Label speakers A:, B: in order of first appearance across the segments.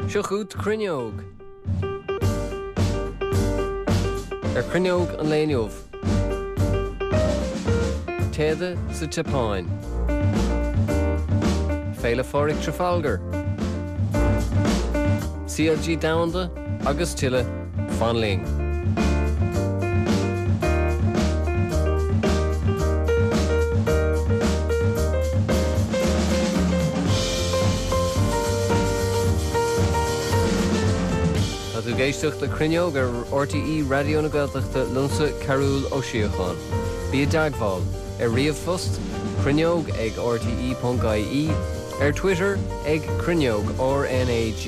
A: Seo chugat Cruinneog. Ar Chruinneog an lae inniu. Téada sa tSeapáin. Féile Phádraig Trafalgar. CLG Domhanda agus tuilleadh, fan linn! Tá tú ag éisteacht le Cruinneog ar RTÉ Raidió na Gaeltachta liomsa Cearbhall Ó Síocháin. Bí i dteagmháil ar ríomhphost, cruinneog ag rte.ie, ar Twitter ag Cruinneog RnaG,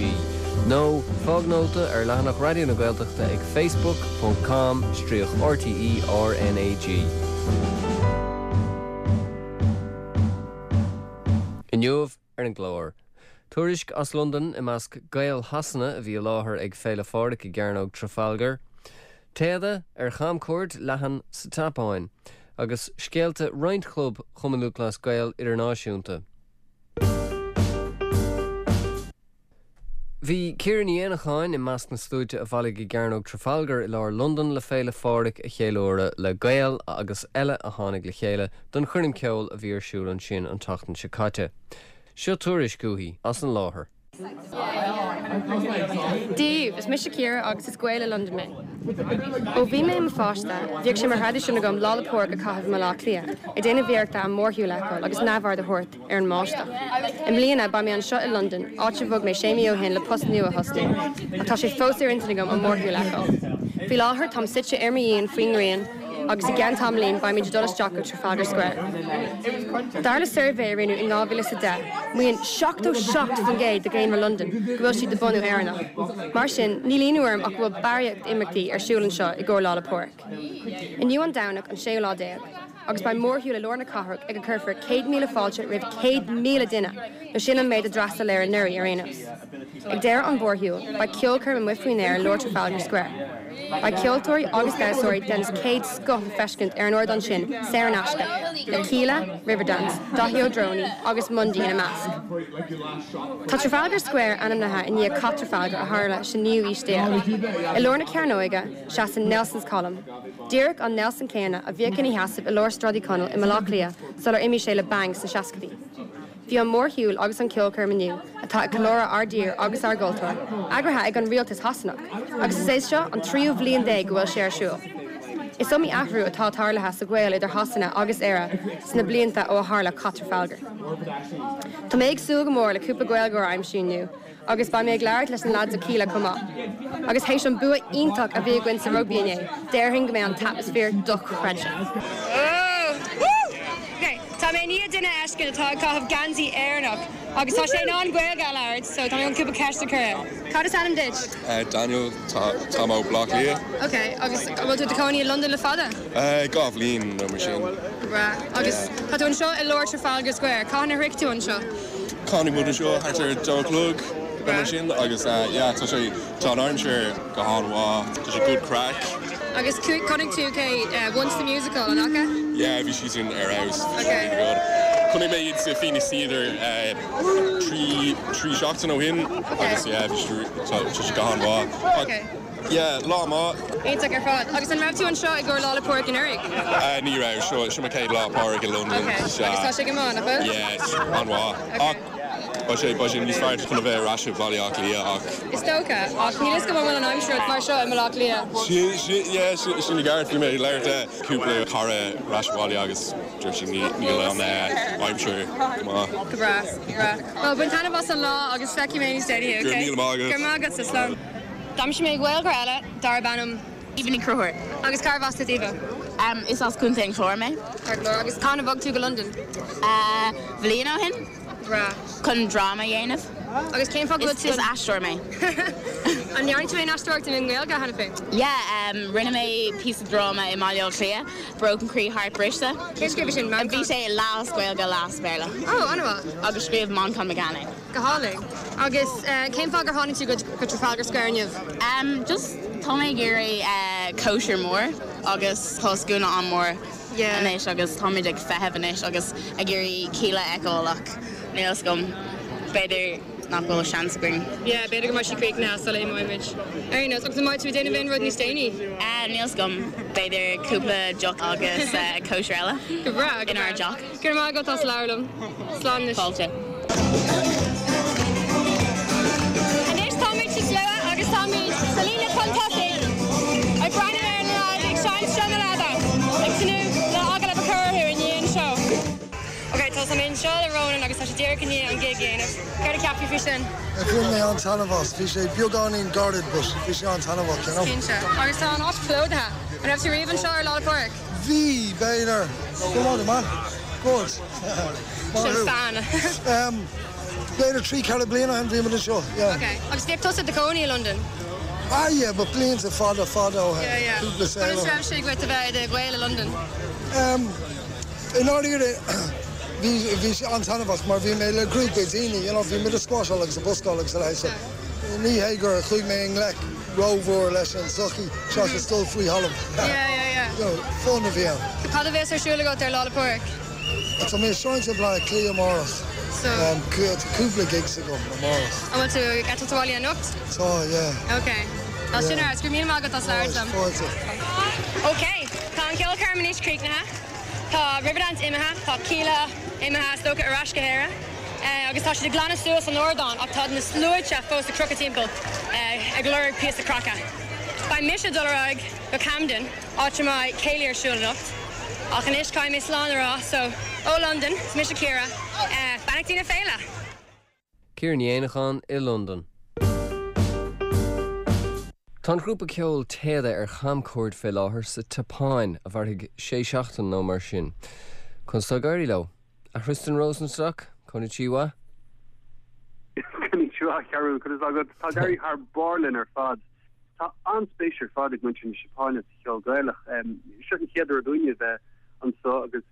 A: nó fág nóta ar leathanach Raidió na Gaeltachta ag facebook ponc com stríoc RTÉ RnaG. Inniu ar an gclár, tuairisc as Londain i measc Gael Shasana a bhí i láthair ag Féile Phádraig i gCearnóg Trafalgar, téada ar chamchuairt leathan sa tSeapáin, agus scéalta roinnt chlub Chumann Lúthchleas Gael idirnáisiúnta. Bhí Ciara Ní Éanacháin i measc na sluaite a bhailigh i gCearnóg Trafalgar i lár Londan le Féile Phádraig a cheiliúradh le Gaeil agus eile a tháinig le chéile don choirm ceoil a bhí ar siúl ansin an tseachtain seo caite. Seo tuairisc uaithi as an láthair.
B: Dia daoibh, is mise Ciara agus is Gael i Londain mé. Ó bhí mé i mo pháiste, bhíodh sé mar thraidisiún agam Lá 'le Pádraig a chaitheamh i mBaile Átha Cliath, ag déanamh iarrachta an mórshiúl a fheiceáil agus neamhaird a thabhairt ar an mbáisteach. I mbliana, beidh mé anseo i Londain, áit a bhog mé sé mí ó shin le post nua a thosnú, ach tá sé fós ar intinn agam an mórshiúl a fheiceáil. Faoi láthair, táim suite ar mo dhíon faoin ngrian, agus i gceann tamaillín beimid ag dul isteach go Trafalgar Square. Dar le suirbhé a rinneadh in 2010, maíonn 77% de dhaonra Londan go bhfuil siad de bhunú Éireannach. Mar sin, níl ionadh orm ach go bhfuil barraíocht imeachtaí ar siúl anseo i gcomhair Lá 'le Pádraig. Inniu an Domhnach an séú lá déag, agus beidh mórshiúl i lár na cathrach ag a gcuirfear 100,000 fáilte roimh 100,000 duine, nó sin an méid a d'fhreastail air anuraidh ar aon nós. Ag deireadh an mhórshiúil, beidh ceolchoirm amuigh faoin aer i lár Trafalgar Square. Beidh ceoltóirí agus damhsóirí den chéad scoth le feiscint ar an ardán sin saor in aisce, le Kíla, Riverdance, Daithí Ó Drónaí agus Mundy ina measc. Tá Trafalgar Square ainmnithe i ndiaidh Cath Trafalgar a tharla sa naoú aois déag. I lár na cearnóige, seasann Nelson's Column, díreach an Nelson céanna a bhíodh ina sheasamh i lár Sráid Uí Chonaill i mBaile Átha Cliath sular imigh sé le Bang sna seascaidí. Bhí an mórshiúl agus an ceolchoirm inniu, atá ag ceiliúradh ár dtír agus ár gcultúr, eagraithe ag an rialtas Shasanach, agus is é seo an tríú bhliain déag go bhfuil sé ar siúl. Is iomaí athrú atá tarlaithe sa ghaol idir Shasana agus Éire sna blianta ó a tharla Cath Trafalgar. Tá mé ag súil go mór le cúpla Gaeilgeoir a aimsiú inniu agus beidh mé ag labhairt leis na lads ó Kíla chomh maith. Agus théis an bua iontach a bhí againn sa rugbaí inné, déarfainn go mbeidh an t-atmaisféar dochreidte. Tá mé i ndiaidh duine a fheiscint atá ag caitheamh geansaí Éireannach agus tá sé in ann Gaeilge a labhairt so tá mé chun cúpla ceist a chur air. Cad is ainm duit?
C: Daniel, táim ó Bleá Cliath.
B: Ok, agus an bhfuil tú i do chónaí i Londain le fada?
C: 2 bhliain nó mar sin.
B: Go breá. Agus tá tú anseo i lár Trafalgar Square, cathain a shroich tú anseo?
C: Tháinig muid anseo thart ar a dó a chlog nó mar sin agus yeah tá sé, tá an aimsir go han-mhaith, tá sé good craic.
B: Agus chonaic tú cé Once the Musical, an fhaca?
C: Yeah bhí siad sin ar fheabhas, bhí siad really good. Chonaic mé iad sa Phoenix Theatre 3 3 seachtain ó shin agus yeah bhí siad, tá sé go han-mhaith. Yeah, lá maith.
B: Iontach ar fad. Agus an raibh tú anseo i gcomhair Lá 'le Pádraig anuraidh?
C: Ní raibh, seo seo mo chéad Lá Pádraig i Londain.
B: Ok, agus tá sé go maith, nach bhfuil?
C: Yeah, an-mhaith. Ach beidh sé beidh sé níos fearr chun a bheith ar ais i Baile Átha Cliath ach.
B: Is dócha, ach níl fhios agam an bhfuil an aimsir mar seo i mBaile Átha Cliath.
C: Sin, sin, yeah, sin sin i gceart. Bhí mé ag labhairt le cúpla cara ar ais abhaile agus dúirt siad ní níl an aimsir go maith.
B: Go breá, go breá. Bhuel, bain taitneamh as an lá agus feicfidh mé níos déanaí, ok?
C: Go raibh míle maith agat.
B: Go raibh maith agatsa, slán. D'aimsigh mé Gaeilgeoir eile darb ainm.
D: Aoibhe Ní Chonchúir.
B: Agus carbh as duit Aoibhe?
D: Is as Contae an Chláir mé.
B: Ceart go leor. Agus cathain a bhog tú go Londain?
D: Bliain ó shin.
B: Breá.
D: Chun dráma a dhéanamh.
B: Agus cén fáth go bhfuil tú.
D: Is aisteoir mé.
B: An ndearna tú aon aisteoireacht i nGaeilge cheana féin?
D: Yeah, rinne mé píosa dráma i mBaile Átha Cliath, Broken Croí Heart Briste.
B: Cé scríobh sin?
D: Bhí sé leath as Gaeilge, leath as Béarla.
B: Oh, an-mhaith.
D: Agus scríobh Manchán Magan é.
B: Go hálainn. Agus cén fáth gur tháinig tú go Trafalgar Square inniu?
D: Just tá mé ag iarraidh cóisir mór agus tá scuaine an-mhór anois agus táimid ag feitheamh anois agus ag iarraidh Kíla a fheiceáil ach níl fhios agam, b'fhéidir. nach bhfuil seans againn.
B: Yeah, b'fhéidir go mbeidh sí críochnaithe sula imeoidh muid. Ar aon nós, agus an mbeidh tú ag déanamh aon rud níos déanaí?
D: Níl 's agam. B'fhéidir cúpla deoch agus cóisir eile.
B: Go breá, go breá.
D: Inár dteach.
B: Go raibh maith agat as labhairt liom. Slán anois.
D: Fáilte.
B: Anois táimid sa slua agus táimid sa líne chun tosaigh ag breathnú ar na leaids ag seinnt Seo na Leaba ag tnúth le agallamh a chur orthu i ndiaidh an seó. Ok, tá mé anseo le Ronan agus tá sé díreach i ndiaidh an gig a dhéanamh. Céard a cheap tú faoi sin?
E: Bhain mé an-taitneamh as. Bhí sé beagáinín gairid but bhí sé an-taitneamhach, you know.
B: Cinnte. Agus tá an áit plódaithe. An raibh tú riamh anseo ar Lá 'le Pádraig?
E: Bhí, b'fhéidir. Good morning, man. Good.
B: Sin fan.
E: B'fhéidir 3, 4 bliana ó shin bhí muid anseo, yeah.
B: Ok. Agus bhíodh tusa i do chónaí i Londain?
E: Ah yeah, but blianta fada, fada ó shin.
B: Yeah, yeah.
E: Cúpla saol
B: Conas
E: ó shin.
B: raibh sé dhuit a bheith i do Ghael i Londain?
E: I ndáiríre, bhí, bhí sé an-taitneamhach mar bhí mé le grúpa daoine, you know, bhí muid ag squasháil agus ag buscáil agus a leithéid so ní hé gur chuaigh mé i ngleic rómhór leis an tsochaí seachas dul faoi thalamh.
B: Yeah, yeah, yeah.
E: You know, fun a bhí ann.
B: So cad a bheas ar siúl agat ar Lá 'le Pádraig?
E: Tá mé ag seinnt i mBaile Átha Cliath amárach.
B: So.
E: Tá cúpla gigs agam amárach.
B: An bhfuil tú ag eitilt abhaile anocht?
E: Tá, yeah.
B: Ok. Tá sin ar, go raibh míle maith agat as labhairt liom.
E: Fáilte.
B: Ok, tá an ceolchoirm anois críochnaithe. Tá Riverdance imithe, tá Kíla imithe is dócha ar ais go hÉire agus tá siad ag glanadh suas an ardán ach tá na sluaite fós ag crochadh timpeall ag lorg píosa craice. Beidh mise ag dul ar aghaidh go Camden, áit a mbeidh céilí ar siúl anocht. Ach anois caithfidh mé slán a rá, so ó Londain, is mise Ciara, beannachtaí na féile!
A: Ciara Ní Éanacháin i Londain. Tá an grúpa ceoil Téada ar chamchuairt fé láthair sa tSeapáin, a mhairfidh sé seachtain nó mar sin. Conas tá ag éirí leo? A Thristan Rosenstock, Konnichiwa.
F: Konnichiwa, a Chearúil, conas tá agat? Tá ag éirí thar barr linn ar fad. Tá an-spéis ar fad ag muintir na Seapáine sa cheol Gaelach. Seo an chéad uair dúinne bheith anseo agus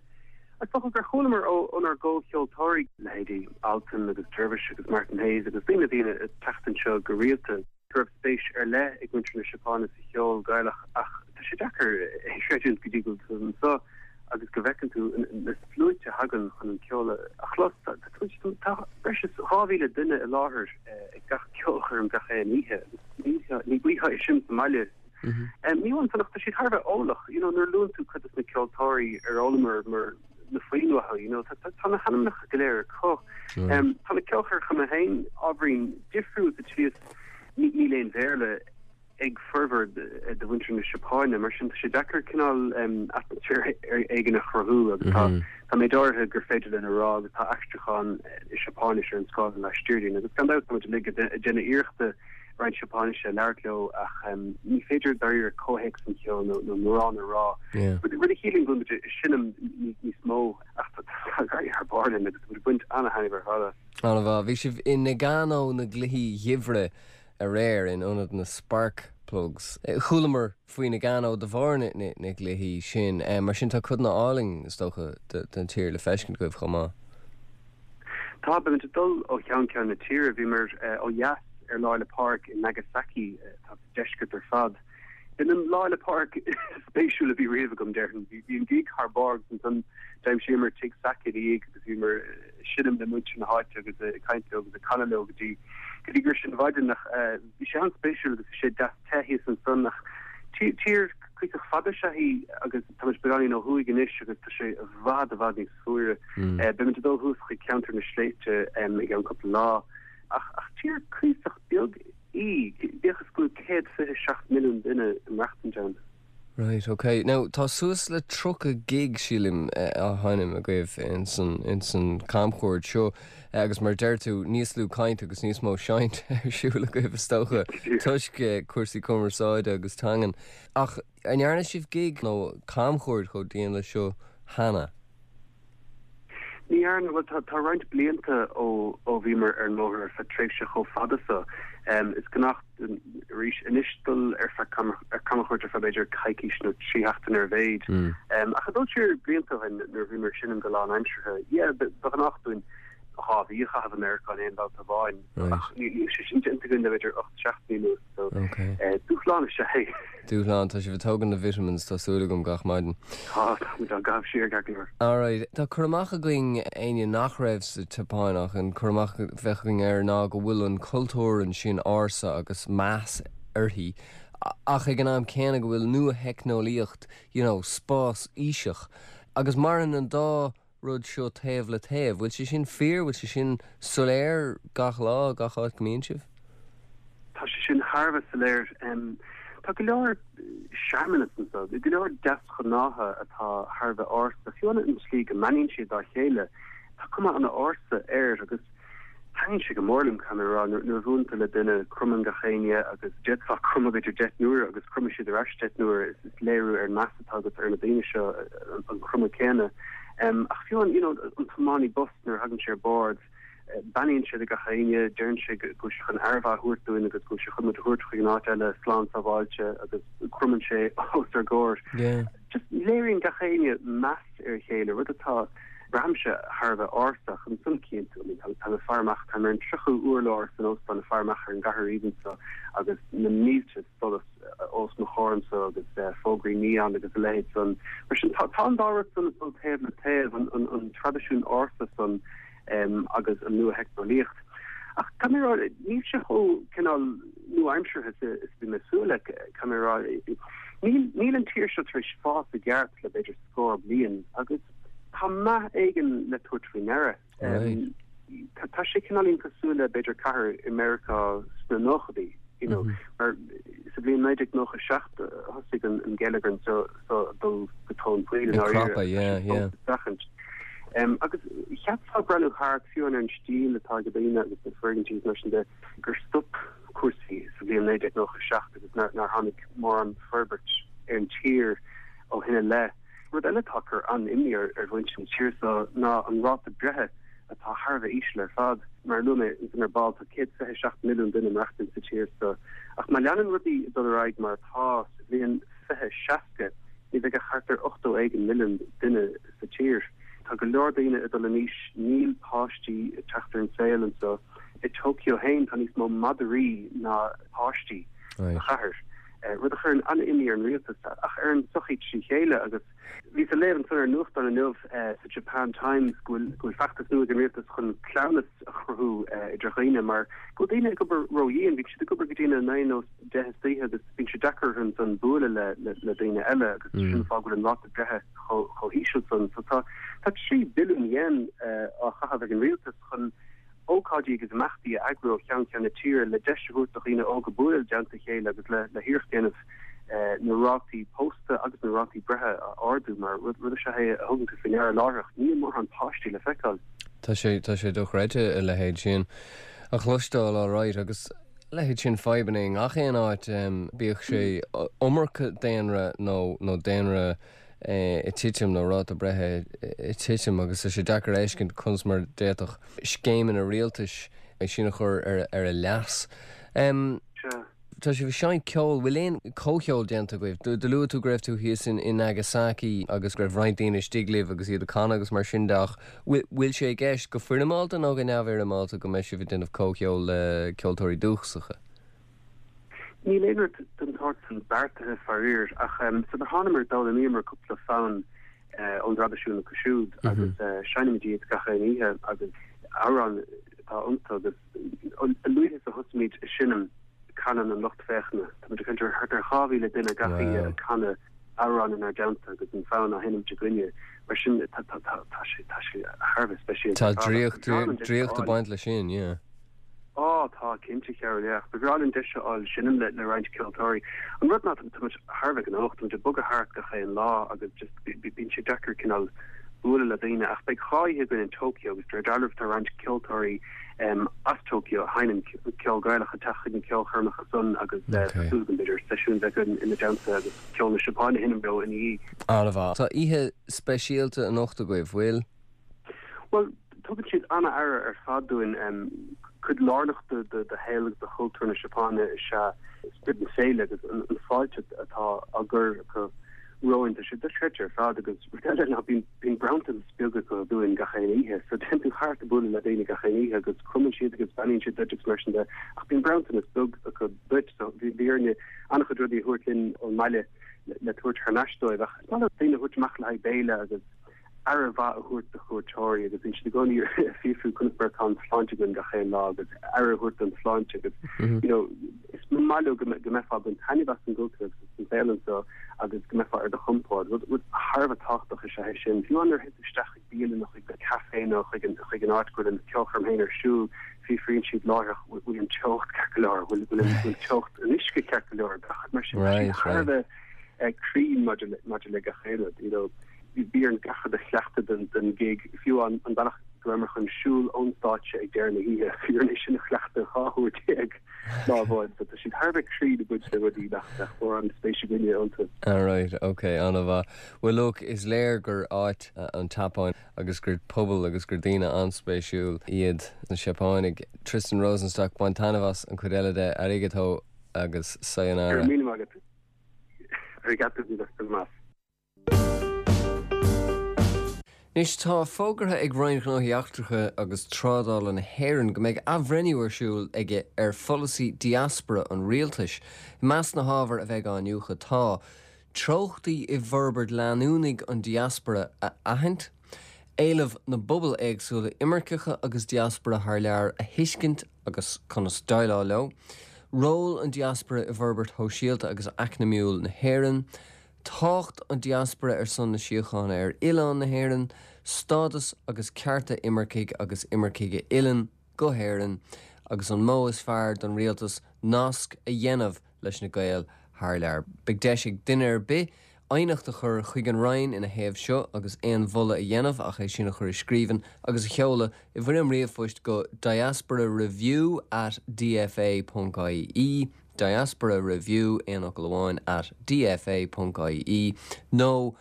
F: is dócha gur chualamar ónár gcomhcheoltóirí, leithéidí Altan agus Dervish agus Martin Hayes agus daoine a bhíonn ag teacht anseo go rialta, go raibh spéis ar leith ag muintir na Seapáine sa cheol Gaelach ach tá sé deacair é a chreidiúint go dtí go bhfuil tú anseo agus go bhfeiceann tú na sluaite a thagann chun an ceol a chlos. Tá breis is 2,000 duine i láthair ag gach ceolchoirm gach aon oíche agus ní bhfaighfeá é sin sa mbaile. Ní amháin san ach tá siad thar a bheith eolach, you know, nuair a luann tú cuid de na ceoltóirí ar fhoghlamar mar na foinn uathu, you know, tá na hainmneacha go léir acu. Tá na ceolchoirmeacha féin ábhairín difriúil sa tslí is níl aon Bhéarla ag formhór de mhuintir na Seapáine, mar sin tá sé deacair cineál atmaisféar éigin a chruthú agus tá tá méid áirithe gur féidir linn a rá agus tá aistriúchán i Seapáinis ar an scáileán laistiar dínn agus gan dabht tá muid uilig ag déanamh iarrachta roinnt Seapáinise a labhairt leo ach ní féidir dáiríre comhthéacs an cheoil nó mórán a rá. Rud a chiallaíonn go bhfuil muid ag seinm níos mó ach tá ag éirí thar barr linn agus tá muid ag baint an-thaitneamh ar fad as.
A: An-mhaith. Bhí sibh i Nagano na gCluichí Geimhridh aréir in ionad na Spark Plugs. Chualamar faoi Nagano de bharr na gcluichí sin. Mar sin tá codanna álainn, is dócha, den tír le feiscint agaibh chomh maith.
F: Tá, beimid ag dul ó cheann ceann na tíre. Bhíomar ó dheas ar Lá 'le Pádraig i Nagasaki, atá sa deisceart ar fad. B'in an Lá 'le Pádraig is spéisiúla a bhí riamh agam, déarfainn. Bhí an gig thar barr agus ansan d'aimsíomar tigh sake ina dhiaidh agus bhíomar ag seinm le muintir na háite agus ag caint leo agus ag canadh leo go dtí go dtí gur sin mhaidin ach bhí sé an-spéisiúil agus bhí sé deas te thíos ansan ach tír cuíosach fada is ea í agus táimid beagáinín ó thuaidh anois agus tá sé i bhfad i bhfad níos fuaire. Beimid ag dul thuas chuig ceantar na sléibhte i gceann cúpla lá ach ach tír cuíosach beag í, bíodh is go bhfuil 127 milliún duine ag maireachtaint ann.
A: Right, ok. Now, tá suas le 30 gig, sílim, á sheinm agaibh ins an, ins an camchuairt seo agus mar a deir tú, níos lú caint agus níos mó seinnt ar siúl agaibh is dócha, toisc cúrsaí cumarsáide agus teangan. Ach an ndearna sibh gig nó camchuairt chomh dian leis seo cheana?
F: Ní dhearna, bhuel tá tá roinnt blianta ó ó bhíomar ar an mbóthar ar feadh tréimhse chomh fada so. Is gnách dúinn arís anois dul ar feadh ar camchuairt ar feadh b'fhéidir coicís nó 3 sheachtain ar a mhéid. Ach ag dul siar blianta ó shin nuair a bhíomar ag seinm go lánaimseartha, yeah, ba ghnách dúinn. 2 mhí a chaitheamh i Meiriceá in aon bhabhta amháin ach níl sé sin déanta againn le b'fhéidir 8 seachtainí anuas so dúshlán is ea é.
A: Dúshlán, tá sibh ag tógaint na vitamins tá súil agam gach maidin.
F: Tá, tá muid á gcaitheamh siar ceart go leor.
A: Alright, tá cur amach againn, éinne nach raibh sa tSeapáin ach an cur amach a bheadh againn air ná go bhfuil an cultúr ansin ársa agus meas uirthi ach ag an am céanna go bhfuil nua-theicneolaíocht, you know, spás-aoiseach agus maireann an dá rud seo taobh le taobh. Bhfuil sé sin fíor? Bhfuil sé sin soiléir gach lá, gach áit go mbíonn sibh?
F: Tá sé sin thar a bheith soiléir. Tá go leor searmanas anseo, go leor deasghnátha atá thar a bheith ársa. Fiú an tslí go mbeannaíonn siad dá chéile, tá cuma an-ársa air agus Taitníonn sé go mór liom, caithfidh mé a rá, nuair a bhuaileann tú le duine, cromann gach éinne agus d'fhéadfá cromadh b'fhéidir 10 n-uaire agus cromfaidh siad ar ais 10 n-uaire, is léiriú ar an meas atá agat ar na daoine seo an cromadh céanna. Ach fiú an, you know, an tiománaí bus nuair a thagann sé ar bord, beannaíonn sé do gach éinne, deireann sé go bhfuil sé chun aire mhaith a thabhairt dúinn agus go bhfuil sé chun muid a thabhairt chuig an áit eile slán sábháilte agus cromann sé os ár gcomhair. Just léiríonn gach éinne meas ar a chéile, rud atá, braithimse, thar a bheith ársa. Ach ansan cinnte, I mean, tá mé ag faire amach, táim ar an tríochú urlár san óstán ag faire amach ar an gcathair aoibhinn seo agus na mílte solas os mo chomhair anso agus fógraí neon agus a leithéid san. Mar sin, tá, tá an dá rud san ag dul taobh le taobh, an, an, an traidisiún ársa san agus an nua-theicneolaíocht. Ach caithfidh mé a rá, níl sé chomh cineál nua-aimseartha is a bhí mé ag súil le, caithfidh mé a rá. Níl, níl an tír seo tar éis fás i gceart le b'fhéidir scór bliain agus tá meath éigin le tabhairt faoi ndeara. Tá, tá sé cineáilín cosúil le b'fhéidir cathair i Meiriceá sna nóchaidí, you know, mar sa bhliain 1997 a thosaigh an, an geilleagar anseo so ag dul go tóin poill i
A: ndáiríre. Ag crapadh, yeah, yeah.
F: Seachaint. Agus cheapfá ag breathnú thart, fiú ar an stíl atá ag daoine agus na foirgintí is mar sin de, gur stop cúrsaí sa bhliain 1997 agus nár tháinig mórán forbairt ar an tír ó shin i leith. Rud eile atá ag cur an-imní ar mhuintir na tíre seo ná an ráta breithe atá thar a bheith íseal ar fad. Mar a luaigh mé ansin ar ball, tá 127 milliún duine ag maireachtaint sa tír seo. Ach má leanann rudaí ag dul ar aghaidh mar atá, sa bhliain 2060 ní bheidh ach thart ar 80 éigin milliún duine sa tír. Tá go leor daoine ag dul in aois, níl páistí ag teacht ar an saol anseo. I Tokyo féin tá níos mó madraí ná páistí sa chathair, rud a chuireann an-imní ar an rialtas ach ar an tsochaí trí chéile. Agus bhíos ag léamh ansan ar an nuachtán inniu sa Japan Times go bhfuil feachtas nua ag an rialtas chun cleamhnas a chruthú idir dhaoine mar go bhfuil daoine ag obair ródhian, bíonn siad ag obair go dtí na naoi nó 10 istoíche agus bíonn sé deacair orthu ansan bualadh le daoine eile agus sin an fáth go bhfuil an ráta breithe chomh híseal san. So tá tá 3 billiún yen á chaitheamh ag an rialtas chun ócáidí agus imeachtaí a eagrú ó cheann ceann na tíre le deis a thabhairt do dhaoine óga bualadh i dteannta a chéile agus le le hiarracht a dhéanamh na rátaí pósta agus na rátaí breithe a ardú mar rud rud is ea é a thugann tú faoi ndeara láithreach níl mórán páistí le feiceáil.
A: Tá sé tá sé dochreidte a leithéid sin a chloisteáil alright agus leithéid sin fadhbanna i ngach aon áit, bíodh sé iomarca daonra nó nó daonra ag titim nó ráta breithe ag titim agus tá sé deacair a fheiscint conas mar a d'fhéadfadh scéimeanna rialtais é sin a chur ar ar a leas. Tá sibh ag seinnt ceoil, bhfuil aon comhcheol déanta agaibh? Do luaigh tú go raibh tú thíos in Nagasaki agus go raibh roinnt daoine istigh libh agus iad ag canadh agus mar sin de ach bhfuil sé i gceist, go foirmeálta nó go neamhfhoirmeálta, go mbeidh sibh ag déanamh comhcheol le ceoltóirí dúchasacha?
F: Níl aon rud den tsórt san beartaithe faraor ach sular thánamar d'fhoghlaimíomar cúpla fonn ón dtraidisiún acu siúd agus seinnimid iad gach aon oíche agus amhráin atá iontu agus A luaithe is a thosaímid ag seinm, canann an lucht féachana. Tá muid ag caint ar thart ar 2,000 duine gach oíche ag canadh amhrán inár dteannta agus an fonn á sheinmt againne. Mar sin, tá sé tá sé thar a bheith speisialta
A: Tá ar fad. Ach draíocht, ba bhreá linn deis a draíocht ag fháil. baint leis sin, yeah.
F: Á, tá, cinnte, Cheryl, yeah. Ach ba bhreá linn deis a fháil seinm le le roinnt ceoltóirí. An rud ná tá muid thar a bheith gnóthach, tá muid ag bogadh thart gach aon lá agus just bíonn sé deacair cineál bualadh le daoine. Ach beidh 2 oíche againn in Tokyo agus de réir dealraimh tá roinnt ceoltóirí as Tokyo a sheinneann ceol Gaelach ag teacht chuig na ceolchoirmeacha san agus tá súil agam b'fhéidir seisiún bheith againn ina dteannta agus ceol na Seapáine a sheinm leo ina dhiaidh.
A: An-mhaith. Tá oíche speisialta anocht agaibh, bhfuil?
F: Bhuel, tugann siad an-aire ar fad dúinn. Cuid lárnach de shaol agus de chultúr na Seapáine is ea spiorad na féile agus an fáilte atá á gcur acu. romhainn. Tá sé dochreidte ar fad agus rud eile ná bíonn bíonn bronntanas beag acu dúinn gach aon oíche. So téann tú thart ag bualadh le daoine gach aon oíche agus cromann siad agus beannaíonn siad duit agus mar sin de ach bíonn bronntanas beag acu duit. So bhí bhí orainne an-chuid rudaí a thabhairt linn ón mbaile le le tabhairt thar n-ais dóibh ach is maith leo daoine a thabhairt amach le haghaidh béile agus aire mhaith a thabhairt do chuairteoirí agus bíonn siad i gcónaí ag fiafrú conas mar atá an tsláinte againn gach aon lá agus aire a thabhairt don tsláinte agus you know is maith leo go mbeifeá ag baint taitneamh as an gcultúr agus as an saol anseo agus go mbeifeá ar do chompord. Rud rud thar a bheith tábhachtach is ea é sin. Fiú nuair a théann tú isteach chuig bialann nó chuig café nó chuig an chuig an áit go bhfuil an ceolchoirm féin ar siúl, fiafraíonn siad láithreach bhfuil an teocht ceart go leor, bhfuil bhfuil teocht an uisce ceart go leor, gach rud mar sin. Thar a bheith cruinn maidir le maidir le gach aon rud, you know. Bhí orainn gach rud a chleachtadh don ghig, fiú an bealach go rabhamar chun siúl ón stáitse ag deireadh na hoíche, bhí orainn é sin a chleachtadh 12 huair lá amháin. So tá siad thar a bheith cruinn i gcuid de rudaí nach mbeadh mórán spéis againne iontu.
A: Alright, ok, an-mhaith. Bhuel look, is léir gur áit an tSeapáin agus gur pobal agus gur daoine an-spéisiúil iad na Seapánaigh. Tristan Rosenstock, bain taitneamh as an chuid eile de, arigato agus sayonara.
F: Go raibh míle maith agat. Arigato gozaimasu.
A: Anois, tá fógartha ag Roinn Ghnóthaí Eachtracha agus Trádála na hÉireann go mbeidh athbhreithniú ar siúl aige ar pholasaí diaspora an rialtais. I measc na hábhar a bheidh á iniúchadh tá, treochtaí i bhforbairt leanúnaigh an diaspora a aithint, éilimh na bpobal éagsúla imirceacha agus diaspora thar lear a thuiscint agus conas déileáil leo, ról an diaspora i bhforbairt shóisialta agus eacnamaíúil na hÉireann, Tábhacht an diaspora ar son na síochána ar oileán na hÉireann, stádas agus cearta imircigh agus imircigh a fhilleann go hÉirinn, agus an modh is fearr don rialtas nasc a dhéanamh leis na Gaeil thar lear. Beidh deis ag duine ar bith aighneacht a chur chuig an Roinn ina thaobh seo agus aon mholadh a dhéanamh ach é sin a chur i scríbhinn agus a sheoladh i bhfoirm ríomhphoist go diasporareview at dfa ponc ie. Diaspora Review, aon fhocal amháin, at dfa ponc ie, nó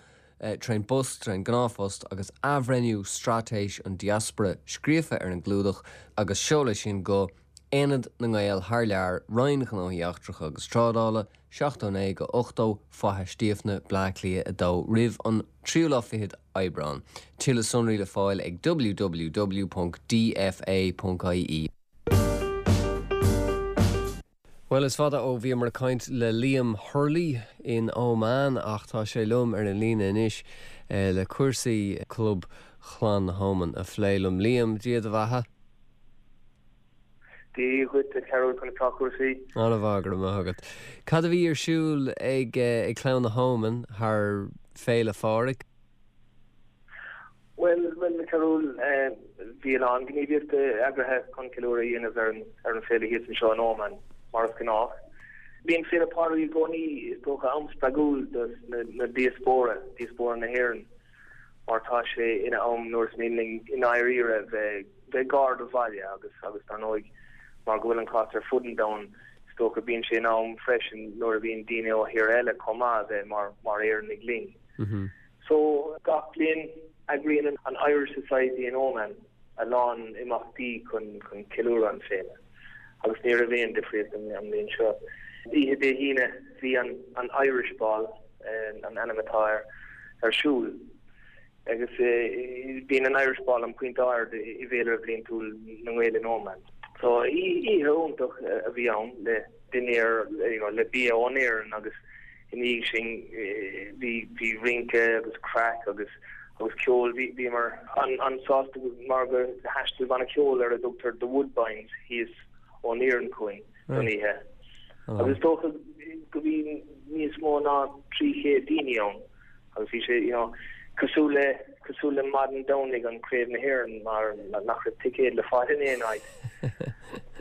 A: trén bpost, trén gnáthphost, agus Athbhreithniú Straitéis an Diaspora scríofa ar an gclúdach agus seol é sin go, Aonad na nGael Thar Lear, Roinn Ghnóthaí Eachtracha agus Trádála, 79-80, Faiche Stiabhna, Bleá Cliath 2, roimh an tríú lá fichead Aibreán. Tuilleadh sonraí le fáil ag www ponc dfa ponc ie. Bhuel, is fada ó bhíomar ag caint le Liam Hurley in Óman ach tá sé liom ar an líne anois le cúrsaí Club Chlann na hÓman a phlé liom. Liam, Dia do bheatha.
G: Dia dhuit, a Chearúil, conas tá cúrsaí?
A: An-mhaith, go raibh maith agat. Cad a bhí ar siúl ag Clann na hÓman thar Féile Phádraig?
G: Bhuel, bhuel, a Chearúil, bhí a lán gníomhaíochta eagraithe chun ceiliúradh a dhéanamh ar an ar an féile thíos anseo in Óman, mar is gnách. Bíonn Féile Pádraig i gcónaí, is dócha, am spreagúil do na diaspóra, diaspóra na hÉireann, mar tá sé ina am nuair is mian linn i ndáiríre bheith bheith gar do bhaile agus agus dar ndóigh mar go bhfuil an cás ar fud an domhain, is dócha, bíonn sé ina am freisin nuair a bhíonn daoine ó thíortha eile chomh maith a bheith mar mar Éireannaigh linn. So, gach bliain, eagraíonn an Irish Society in Oman a lán imeachtaí chun chun ceiliúradh an féile, agus ní raibh aon difríocht an bhliain seo. Oíche Dé hAoine, bhí an an Irish Ball, an ainm atá air, ar siúl. Agus bíonn an Irish Ball an pointe ard i bhféilire bhliantúil na nGael in Oman. So, oíche iontach a bhí ann le dinnéar, you know, le bia ón Éirinn agus Ina dhiaidh sin bhí bhí rince agus craic agus agus ceol. Bhí bhíomar an-sásta mar gur thaistil banna ceoil ar a dtugtar The Woodbines thíos ón Iaráin chugainn don oíche. Agus is dócha go bhí níos mó ná 300 daoine ann. Agus bhí sé, you know, cosúil le, cosúil le maidin Domhnaigh an Craobh na hÉireann mar nach raibh ticéad le fáil in aon áit.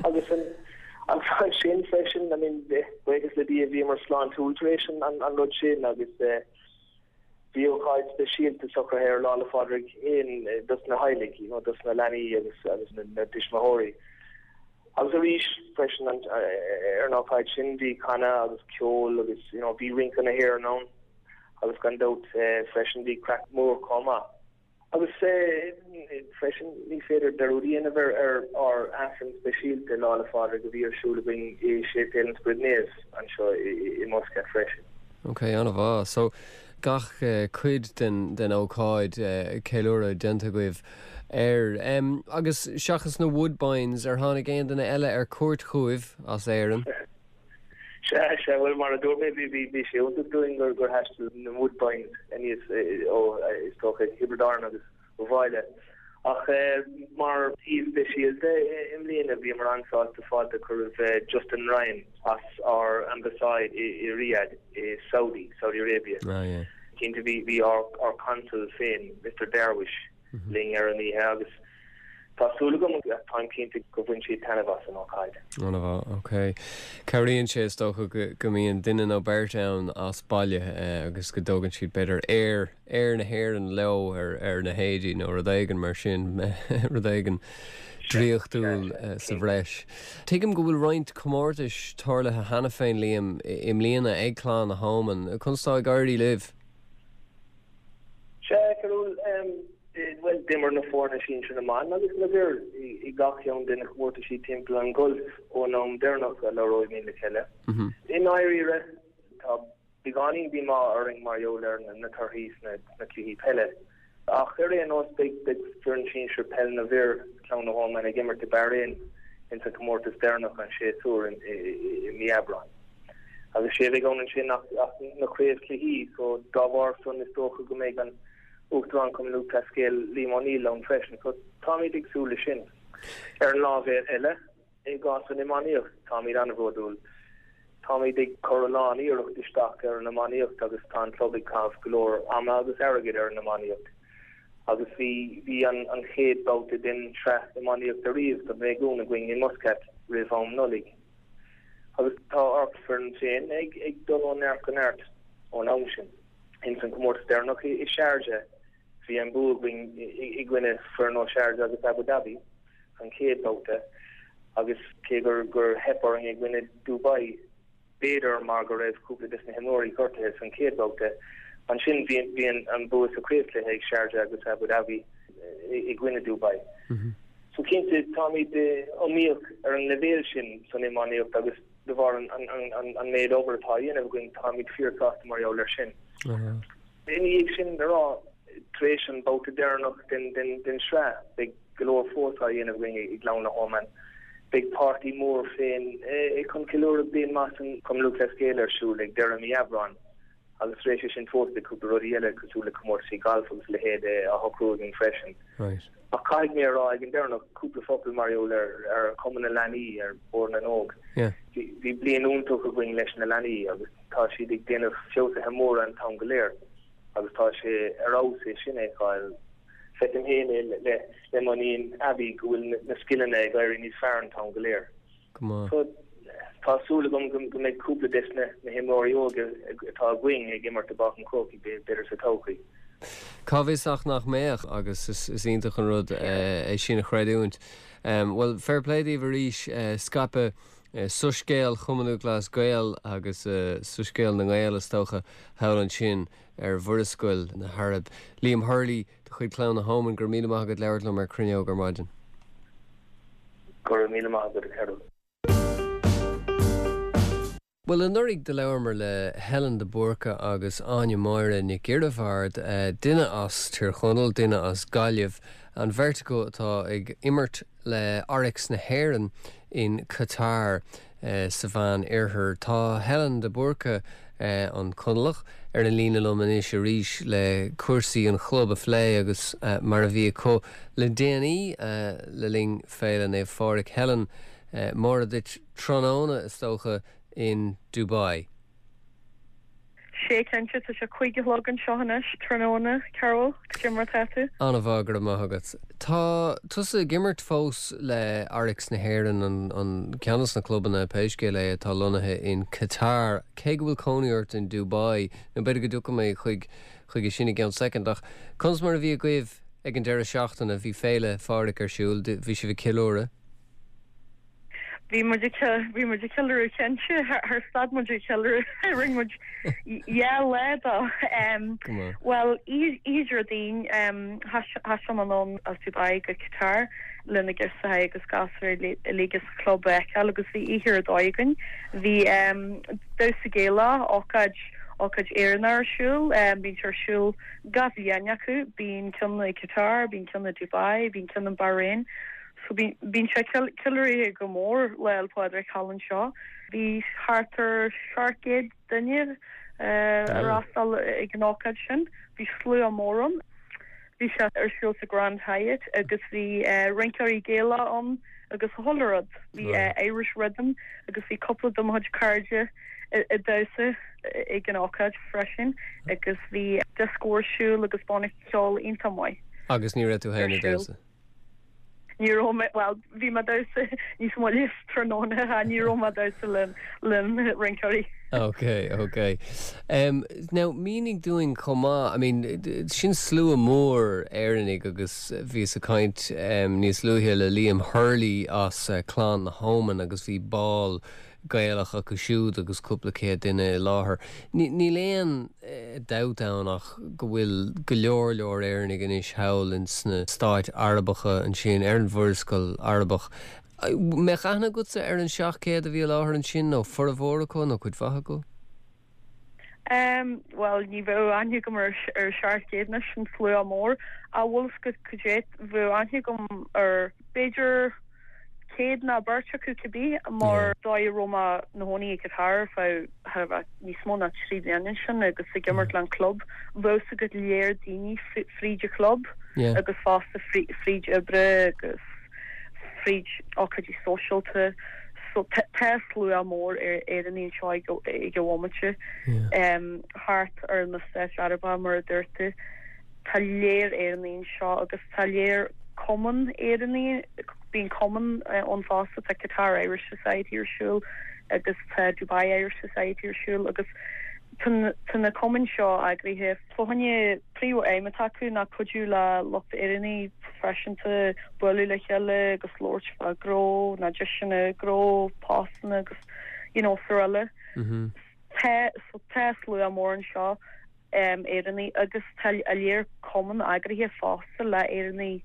G: Agus an, ansin freisin, I mean, buíochas le Dia bhíomar sláintiúil tar éis an, an, an rud sin agus eh, bhí ócáid speisialta socraithe ar Lá 'le Phádraig féin dos na theaghlaigh, you know, dos na leanaí agus, agus na, na dtuismitheoirí. Agus arís freisin an, ar an ócáid sin bhí canadh agus ceol agus, you know, bhí rince na hÉireann ann. Agus gan dabht freisin bhí craic mór chomh maith. Agus freisin ní féidir dearúd a dhéanamh ar ar ár Aifreann speisialta Lá 'le Phádraig a bhí ar siúl againn i Séipéal an Spioraid Naomh anseo i Muscat freisin.
A: Ok, an-mhaith. So, gach cuid den den ócáid ceiliúradh déanta agaibh air. Agus seachas na Woodbines, ar tháinig aon duine eile ar cuairt chugaibh as Éirinn?
G: Sea, sea, bhuel mar a dúirt mé bhí bhí sé iontach dúinn gur gur thaistil na Woodbines aníos ó is dócha Thiobraid Árann agus ó bhaile. Ach mar aoi speisialta i mbliana bhíomar an-sásta fáilte a chur roimh Justin Ryan as ár ambasáid i Riyadh i Saudi, Saudi Arabia. Cinnte bhí bhí ár ár consul féin, Mister Darwish, linn ar an oíche agus tá súil agam agus táim cinnte gur bhain siad taitneamh as an ócáid.
A: An-mhaith, ok. Cabhraíonn sé is dócha go mbíonn duine nó beirt ann as baile agus go dtugann siad b'fhéidir aer, aer na hÉireann leo ar, ar na héadaí nó rud éigin mar sin, rud éigin draíochtúil sa bhreis. Tuigim go bhfuil roinnt comórtais tarlaithe cheana féin, Liam, i mbliana ag Clann na hÓman. Conas tá ag éirí libh?
G: Sea, a Chearbhaill, bhuel, d'imir na foirne sinsir na mban agus na bhfir i gach ceann de na comórtaisí timpeall an Gulf ón am deireanach a labhraímid le chéile. I ndáiríre, tá beagáinín díomá orainn mar gheall ar na torthaí sna cluichí peile. Ach ar aon nós, beidh foireann sinsir peil na bhfir, Clann na hÓmain, ag imirt i Bahrain ins an comórtas deireanach an séasúr i mí Aibreáin. Agus sé a bheidh ann ansin ach na craobhchluichí so dá bharr san is dócha go mbeidh an Uachtarán Chumann Lúthchleas Gael Liam O'Neill ann freisin so táimid ag súil leis sin. Ar an lámh eile, i gcás an iománaíocht, táimid an-bhródúil. Táimid ag cur a lán iarracht isteach ar an iománaíocht agus tá an club ag caitheamh go leor ama agus airgid ar an iománaíocht. Agus bhí bhí an an chéad babhta den tsraith iománaíochta riamh don réigiún againn i Muscat roimh am Nollaig. Agus tá ár bhfoireann féin ag dul ó neart go neart ón am sin. Ins an comórtas deireanach i Sharjah bhí an bua againn i gcoinne foireann ó Sharjah agus Abu Dhabi an chéad babhta agus cé gur gur theip orainn i gcoinne Dubai, b'fhéidir mar go raibh cúpla des na himreoirí gortaithe san chéad bhabhta. Ansin bhí bhí an bua sa chraobhchluiche ag Sharjah agus Abu Dhabi i gcoinne Dubai. So cinnte táimid iomaíoch ar an leibhéal sin san iománaíocht agus de bharr an an méid obair atá á dhéanamh againn táimid fíor-sásta mar gheall air sin. Ina dhiaidh sin a rá, tar éis an babhta deireanach den den sraith beidh go leor fós á dhéanamh againn i gClann na hÓmain. Beidh páirtí mór féin chun ceiliúradh Bliain Mhaith san Chumann Lúthchleas Gael ar siúl ag deireadh mí Aibreáin agus tar éis sin fós beidh cúpla rudaí eile cosúil le comórtaisí gailf agus a leithéid á shocrú againn freisin. Ach caithfidh mé a rá ag an deireanach cúpla focal mar gheall ar ar Chumann na Leanaí, ar Bhord na nÓg. Bhí bliain iontach againn leis na leanaí agus tá siad ag déanamh feabhsuithe móra an t-am go léir agus tá sé ar fheabhas é sin a fheiceáil. Feicim féin é le le mo iníon Abby go bhfuil na scileanna ag éirí níos fearr an t-am go léir.
A: Go maith.
G: So tá súil agam go go mbeidh cúpla des na na himreoirí óga atá againn ag imirt i bPáirc an Chrócaigh b'fhéidir sa todhchaí.
A: Cá bhfios ach nach mbeadh agus is is iontach an rud é sin a chreidiúint. Bhuel, fair play daoibh arís, scaipeadh soiscéal Chumann Lúthchleas Gael agus soiscéal na nGael is dócha thall ansin ar Mhurascaill na hAraibe. Liam Hurley de chuid Chlann na hÓman, go raibh míle maith agat labhairt liom ar Cruinneog ar maidin.
G: Go raibh míle maith agat a Chearbhaill.
A: Bhuel, anuraidh do labhramar le Helen de Búrca agus Áine Máire Nic Oirbheard, duine as Tír Chonaill, duine as Gaillimh, an bheirt acu atá ag imirt le Oryx na hÉireann in Qatar sa Mheán Oirthear. Tá Helen de Búrca, an Conallach, ar an líne liom anois arís le cúrsaí an chlub a phlé agus mar a bhí acu le déanaí le linn Féile Naomh Phádraig. Helen, Móra duit tráthnóna, is dócha, in Dubai.
H: Sea, cinnte, tá sé 5 a chlog anseo anois, tráthnóna, Cearbhall, cad é mar atá tú?
A: An-mhaith, go raibh maith agat. Tá tusa ag imirt fós le Oryx na hÉireann, an ceann de na clubanna, pé scéal é, atá lonnaithe in Qatar, cé go bhfuil cónaí ort in Dubai, nó b'fhéidir go dtiocfaidh mé chuig chuige sin i gceann soicind, ach conas mar a bhí agaibh ag an deireadh seachtaine? Bhí Féile Phádraig ar siúl, bhí sibh ag ceiliúradh?
H: Bhí muid ag bhí muid ag ceiliúradh cinnte, char stad muid ag ceiliúradh, rinne muid dhá lá dó. Bhuel, oíche Déardaoin, thaistil mé anonn as Dubai go Qatar le na girseachaí agus gasúir uilig as an chlub a fheiceáil agus bhí oíche ar dóigh againn. Bhí damhsa Gaelach, ócáid. ócáid Éireannach ar siúl. Bíonn sé ar siúl gach bhliain acu. Bíonn ceann i Qatar, bíonn ceann i Dubai, bíonn ceann in Bahrain. So bíonn sé ceiliúraithe go mór Lá 'le Pádraig thall anseo. Bhí thart ar 700 duine ag freastal ag an ócáid sin. Bhí slua mór ann. Bhí sé ar siúl sa Grand Hyatt agus bhí rinceoirí Gaelach ann agus chuile rud. Bhí Irish Rhythm agus bhí cúpla de mo chuid cairde ag damhsa ag an ócáid freisin agus bhí dioscó ar siúl agus banna ceoil iontach maith.
A: Agus ní raibh tú féin ag damhsa?
H: Ní raibh mé, bhuel, bhí mé ag damhsa níos moille tráthnóna, ní raibh mé ag damhsa le na rinceoirí.
A: Ok, ok. Um, now, mínigh dúinn chomh maith, I mean, sin slua mór Éireannaigh agus bhíos ag caint um, níos luaithe le Liam Hurley as uh, Clann na hÓmain agus bhí bál Gaelach acu siúd agus cúpla céad duine i láthair. Níl aon dabht ann ach go bhfuil go leor leor Éireannaigh anois thall ins na stáit Arabacha ansin, ar an Mhurascaill Arabach. Mbeadh aithne agatsa ar an 700 a bhí i láthair ansin, nó formhór acu, nó cuid mhaith acu?
H: Em, bhuel, ní bheadh aithne agam ar ar 700 anois, sin slua mór. Ach bhfuil 'fhios agat cad é, bheadh aithne agam ar b'fhéidir céad ná beirt acu cibé, mar dóigh a raibh mé 'mo chónaí i Qatar ar feadh thar a bheith níos mó ná trí bliana ansin agus ag imirt le an club, bheadh 'fhios agat léar daoine fríd an chlub agus fosta fríd oibre agus. fríd ócáidí sóisialta. So tá slua mór Éireannaigh anseo ag an bhomaite thart ar na Stáit Arabacha mar a dúirt tú. Tá léar Éireannaigh anseo agus tá léar cumann Éireannaigh, bíonn cumann ann fosta, tá Qatar Irish Society ar siúl agus tá Dubai Irish Society ar siúl agus tá na cumainn seo eagraithe fá choinne príomh-aidhm atá acu ná cuidiú le lucht Éireannaigh proifisiúnta bualadh le chéile agus labhairt fá gnó nó deiseanna gnó, postanna agus you know srl. Tá so tá slua mór anseo Éireannaigh agus tá a léar cumann eagraithe fosta le Éireannaigh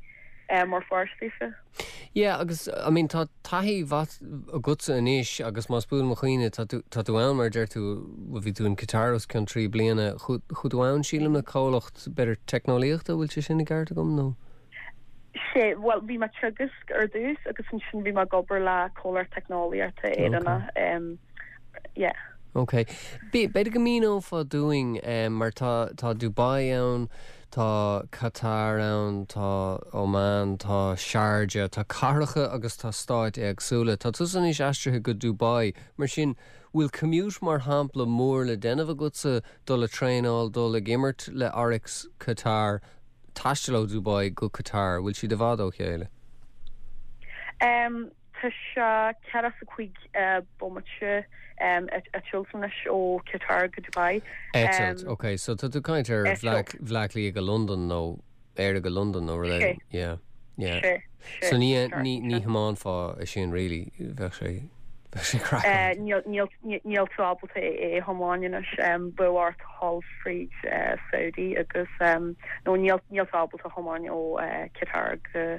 H: mar pháirt daofa.
A: Yeah agus I mean tá taithí mhaith agatsa anois agus más buan mo chuimhne tá tú tá tú ann mar a deir tú bhuel bhí tú in Qatar os cionn trí bliana chuaigh tú ann sílim le comhlacht b'fhéidir teicneolaíochta bhfuil sé sin i gceart agam nó?
H: Sea bhuel bhí mé ag teagasc ar dtús agus ansin bhí mé ag obair le comhlacht teicneolaíochta Éireannach yeah.
A: Ok. B'fhéidir go míneofá dúinn mar tá tá Dubai ann, tá Qatar ann, tá Oman, tá Sharjah, tá cathracha agus tá stáit éagsúla. Tá tusa anois aistrithe go Dubai, mar sin bhfuil commute mar shampla mór le déanamh agatsa dul ag traenáil, dul ag imirt le Oryx Qatar, taisteal ó Dubai go Qatar, bhfuil siad i bhfad ó chéile?
H: Tá sé 45 bomaite eitilt anois ó Qatar go Dubai.
A: Eitilt, ok. So tá tú ag caint ar Bhleá Cliath go Londain nó Éire go Londain nó rud éigin. Yeah, yeah. Sé, sé. So ní ní ní thiomáinfeá é sin really, bheadh sé bheadh sé craiceáilte.
H: Níl níl níl tú ábalta é a thiomáin anois. Bheadh ort dhul fríd Saudi agus nó níl níl tú ábalta a thiomáin ó Qatar go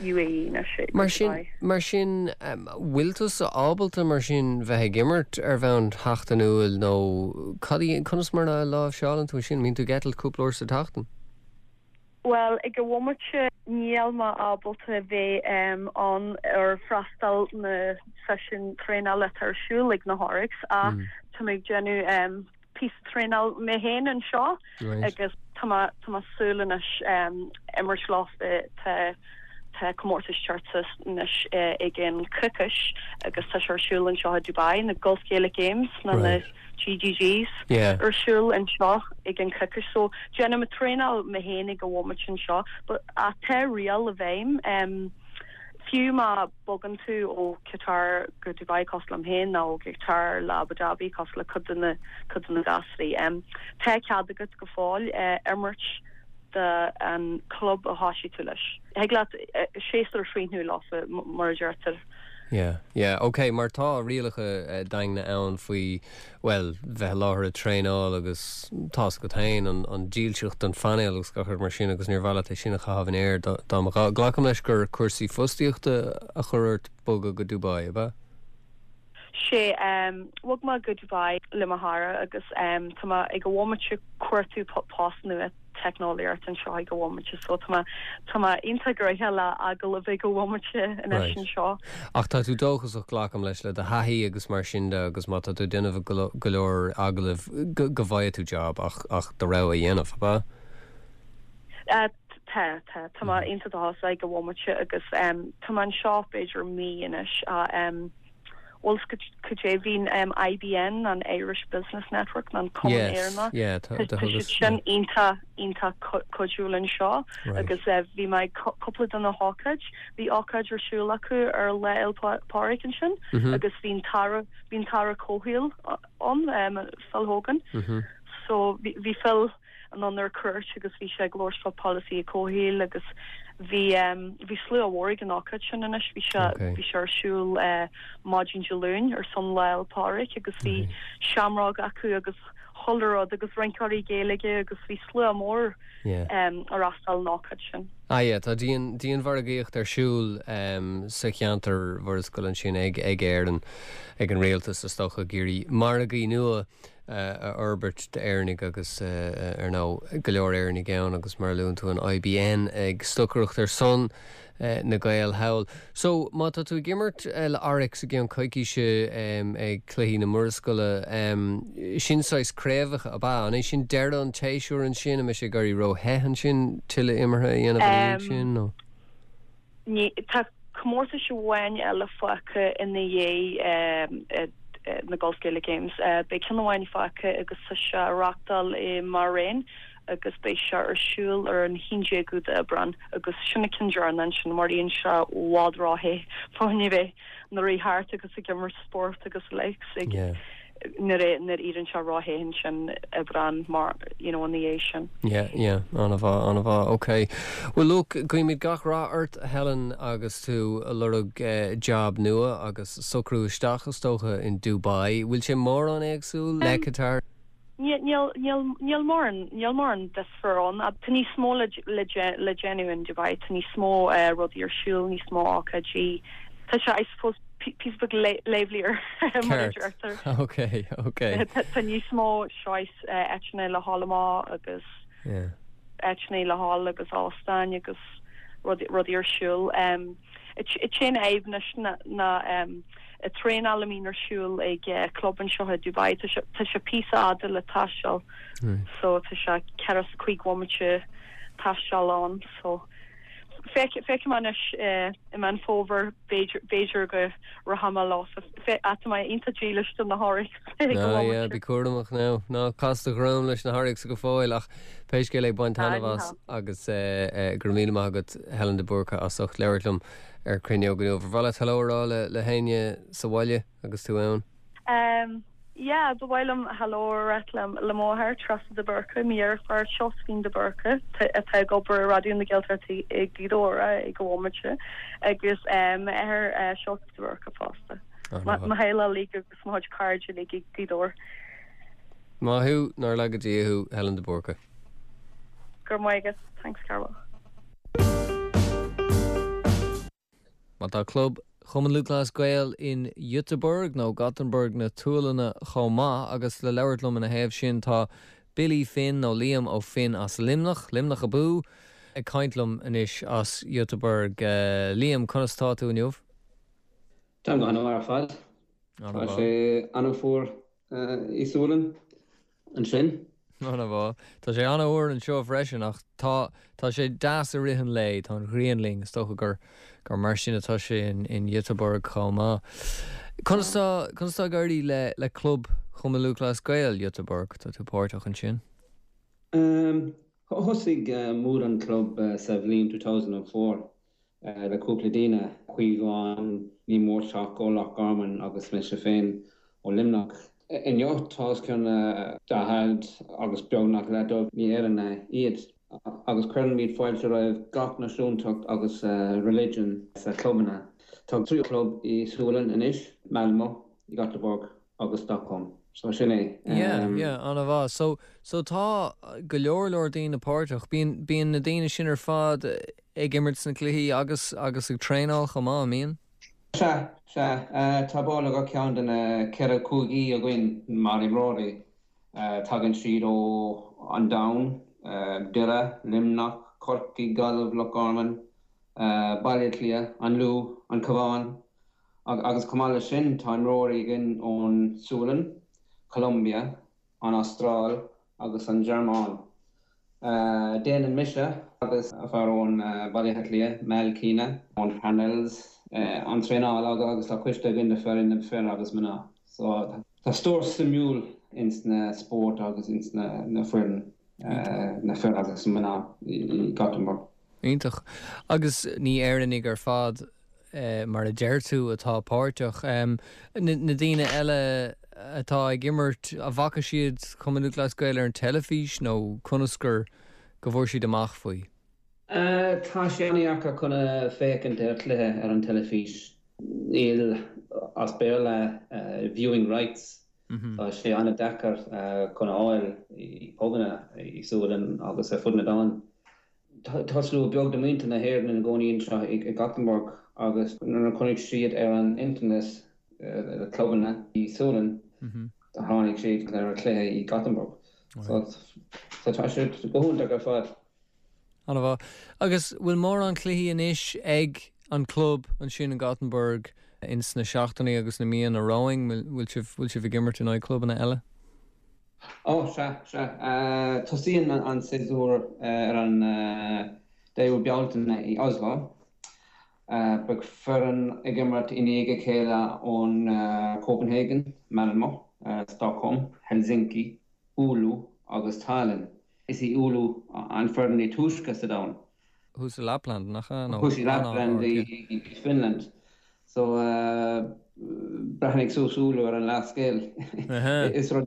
H: UAE anois
A: go Mar sin, Dubai. mar sin, bhfuil tusa ábalta mar sin bheith ag imirt ar bhonn sheachtainiúil nó cad í, conas mar a láimhseálann tú é sin? Mbíonn tú ag eitilt cúpla uair sa tseachtain?
H: Bhuel, ag an bhomaite níl mé ábalta bheith ann ar freastal na seisiún traenála atá ar siúl ag na hOryx ach tá mé ag déanamh píosa traenáil mé féin anseo agus tá mé tá mé súil anois imirt leofa tá tá comórtas ag teacht anois i gceann coicís agus tá sé ar siúl anseo i Dubai, na Gulf Gaelic Games nó na GGGs ar siúl anseo i gceann coicís so déanaim traenáil mé féin ag an bhomaite anseo but ach tá riail i bhfeidhm fiú má bogann tú ó Qatar go Dubai cosúil liom féin nó ó Qatar le Abu Dhabi cosúil le cuid de na cuid de na gasraí. Tá cead agat go fóill imirt do an club a thoisigh tú leis. Thig leat séasúr a chríochnú leofa mar a deirtear.
A: Yeah, yeah, ok, mar tá rialacha daingne ann faoi bhuel, bheith i láthair ag traenáil agus tá's agat féin, an dílseacht don phainéal agus gach rud mar sin agus níor mhaith leat é sin a chaitheamh in aer dá mba ghá. Glacaim leis gur cúrsaí fostaíochta a chuir ort bogadh go Dubai, ab ea?
H: Sé, bhog mé go Dubai le mo chara agus tá mé ag an bhomaite cuartú post nua teicneolaíocht anseo ag an bhomaite so tá mé tá mé iontach gnoitheach le agallaimh ag an bhomaite anois anseo.
A: Ach tá tú dóchasach, glacaim leis, le do thaithí agus mar sin de agus má tá tú ag déanamh go leor agallamh go bhfaighidh tú job ach ach do rogha a dhéanamh, ab
H: ea? Tá, tá. Tá mé iontach dóchasach ag an bhomaite agus tá mé anseo b'fhéidir mí anois ach bhfuil 's cad é bhí an IBN, an Irish Business Network, nó an Cumann Éireannach, tá siad sin iontach, iontach cuidiúil anseo agus bhí mé ag cúpla de na hócáid, bhí ócáid ar siúl acu ar Lá Fhéile Pádraig ansin agus bhí an tAire, bhí an tAire Comhshaoil ann, Phil Hogan, so bhí Phil, anonn ar cuairt agus bhí sé ag labhairt fá polasaithe comhshaoil agus bhí bhí slua mhór ag an ócáid sin anois, bhí sé bhí sé ar siúl maidin Dé Luain ar son Lá Fhéile Pádraig agus bhí seamróg acu agus chuile rud agus rinceoirí Gaeilge agus bhí slua mór ar fhreastal an ócáid sin.
A: Ah yeah, tá dian dianmhargaíocht ar siúl sa cheantar Mhurascaill ansin ag ag Éirinn, ag an rialtas is dócha, ag iarraidh margaí nua a fhorbairt d'Éireannaigh agus, ar ndóigh, go leor Éireannaigh ann agus mar a luann tú an IBN ag stocaireacht ar son na Gaeil thall. So, má tá tú ag imirt le Oryx i gceann coicíse ag Cluichí na Murascaille, sin saghas craobhacha, ab ea? An é sin deireadh an tséasúir ansin? An mbeidh sé ag éirí ró-the ansin tuilleadh imeartha a dhéanamh ina dhiaidh sin nó?
H: Ní, tá comórtais amháin eile fágtha ina dhiaidh na Gulf Gaelic Games. Beidh ceann amháin fágtha agus tá sé á reachtáil i mBahrain agus beidh sé ar siúl ar an 11ú d'Aibreán agus sin an ceann deireanach ansin mar bíonn sé i bhfad ró-the fá choinne bheith ag rith thart agus ag imirt spórt agus the likes ag nuair a nuair a éiríonn sé ró-the ansin Aibreán mar you know ina dhiaidh sin.
A: Yeah, yeah, an-mhaith, an-mhaith, ok. Well look, guímid gach rath ort a Helen agus tú ag lorg job nua agus socrú isteach is dócha in Dubai. Bhfuil sé mórán éagsúil le Qatar?
H: Níl, níl, níl, níl mórán, níl mórán difear ann. Tá níos mó le, le, le déanamh in Dubai, tá níos mó rudaí ar siúl, níos mó ócáidí. Tá sé, I suppose, píosa beag livelier mar a deirtear.
A: Ok, ok.
H: Tá níos mó choice áiteanna le dhul amach agus áiteanna le dhul agus óstáin agus rudaí ar siúl. An t-aon fhadhb anois ná an traenáil a mbíonn ar siúl ag club anseo i Dubai, tá sé píosa fhada le taisteal so tá sé ceithre is cúig bhomaite taisteal ann so Feicfidh mé anois i Meán Fómhair, b'fhéidir go rachaidh mé leofa. Tá mé iontach dílis do na hOryx
A: ag an Ah yeah, bí cúramach now. Ná cas do dhroim leis na hOryx go fóill ach pé scéal é bain taitneamh as agus go raibh míle maith agat Helen de Búrca as ucht labhairt liom ar Cruinneog inniu. Ar mhaith leat hello a rá le héinne sa bhaile agus tú
H: ann? Yeah, ba mhaith liom hello a ráit le mo mháthair, Treasa de Búrca, mo dheirfiúr Seosaimhín de Búrca, atá ag obair i Raidió na Gaeltachta i Gaoth Dobhair ag an bhomaite, agus m'athair Seosamh de Búrca fosta. Mo theaghlach uilig agus mo chuid cairde uilig i Gaoth Dobhair.
A: Maith thú, nár laga Dia thú, Helen de Búrca.
H: Go raibh maith agat. Thanks Cearbhall.
A: Má tá club Chumann Lúthchleas Gael in Göteborg nó Gothenburg na tSualainne chomh maith agus le labhairt liom ina thaobh sin tá Billy Finn nó Liam Ó Finn as Luimneach, Luimneach abú, ag caint liom anois as Göteborg. Liam, conas tá tú inniu?
I: Táim go han-mhaith ar fad. Tá sé an-fhuar i Sualainn ansin.
A: An-mhaith. Tá sé an-fhuar anseo freisin ach tá tá sé deas i rith an lae, tá an ghrian linn, is dócha gur gur mar sin atá sé in in Göteborg chomh maith. Conas tá conas tá ag éirí le le club Chumann Lúthchleas Gael Göteborg? Tá tú páirteach ansin?
I: Thosaigh muid an club sa bhliain 2004. le cúpla daoine, Caomhán Ní Mhóirteach ó Loch Garman agus mise féin ó Luimneach. Inniu tá os cionn 40 agus beagnach leath dóibh ní Éireannaigh iad agus cuirimid fáilte roimh gach náisiúntacht agus religion sa chlubanna. Tá 3 chlub i Sualainn anois, Malmö, Göteborg agus Stockholm. So sin
A: é. Yeah, yeah, an-mhaith. So, so tá go leor leor daoine páirteach. Bíonn, bíonn na daoine sin ar fad ag imirt sna cluichí agus agus ag traenáil chomh maith, an mbíonn?
I: Sea, sea. Tá ball ag gach ceann de na ceithre cúigí againn mar imreoirí. Tagann siad ó an domhan, Doire, Luimneach, Corcaigh, Gaillimh, Loch Garman, Baile Átha Cliath, an Lú, an Cabhán agus chomh maith leis sin tá imreoirí againn ón Sualainn, Colombia, an Astráil agus an Ghearmáin. Déanann mise agus fear ón Baile Átha Cliath, Mal Keena, ón Parnells, an traenáil agus tá coiste againn de foireann na fir agus mná. So tá stór suimiúil ins na spóirt agus ins na foireann na fir agus mná i Gothenburg.
A: Iontach. Agus ní Éireannaigh ar fad, mar a deir tú, atá páirteach. Na daoine eile atá ag imirt, an bhfaca siad Cumann Lúthchleas Gael ar an teilifís nó conas gur go bhfuair siad amach faoi?
I: Tá sé an-deacair chun féachaint ar chluiche ar an teilifís. Níl, as Béarla, viewing rights. Tá sé an-deacair chun a fháil i bpubanna i Sualainn agus ar fud na domhain. Tá slua beag de mhuintir na hÉireann ina gcónaí anseo i Gothenburg agus nuair a chonaic siad ar an internet na clubanna i Sualainn, tháinig siad ar an chluiche i Gothenburg. So tá sé go hiontach ar fad.
A: An-mhaith. Agus bhfuil mórán cluichí anois ag an club ansin in Gothenburg ins na seachtainí agus na míonna romhainn? Bhfuil sibh, bhfuil sibh ag imirt in aghaidh clubanna eile?
I: Ó, sea, sea. Tosaíonn an séasúr ar an 10ú Bealtaine i Oslo. Beidh foireann ag imirt i ndiaidh a chéile ón Copenhagen, Malmö, Stockholm, Helsinki, Oulu agus Tallinn. Is í Oulu an foireann is túisce sa domhan.
A: Thuas i Lapland, nach ea?
I: Thuas i Lapland i Finland. So, breathnaigh suas Oulu ar an leathscéal. Is rud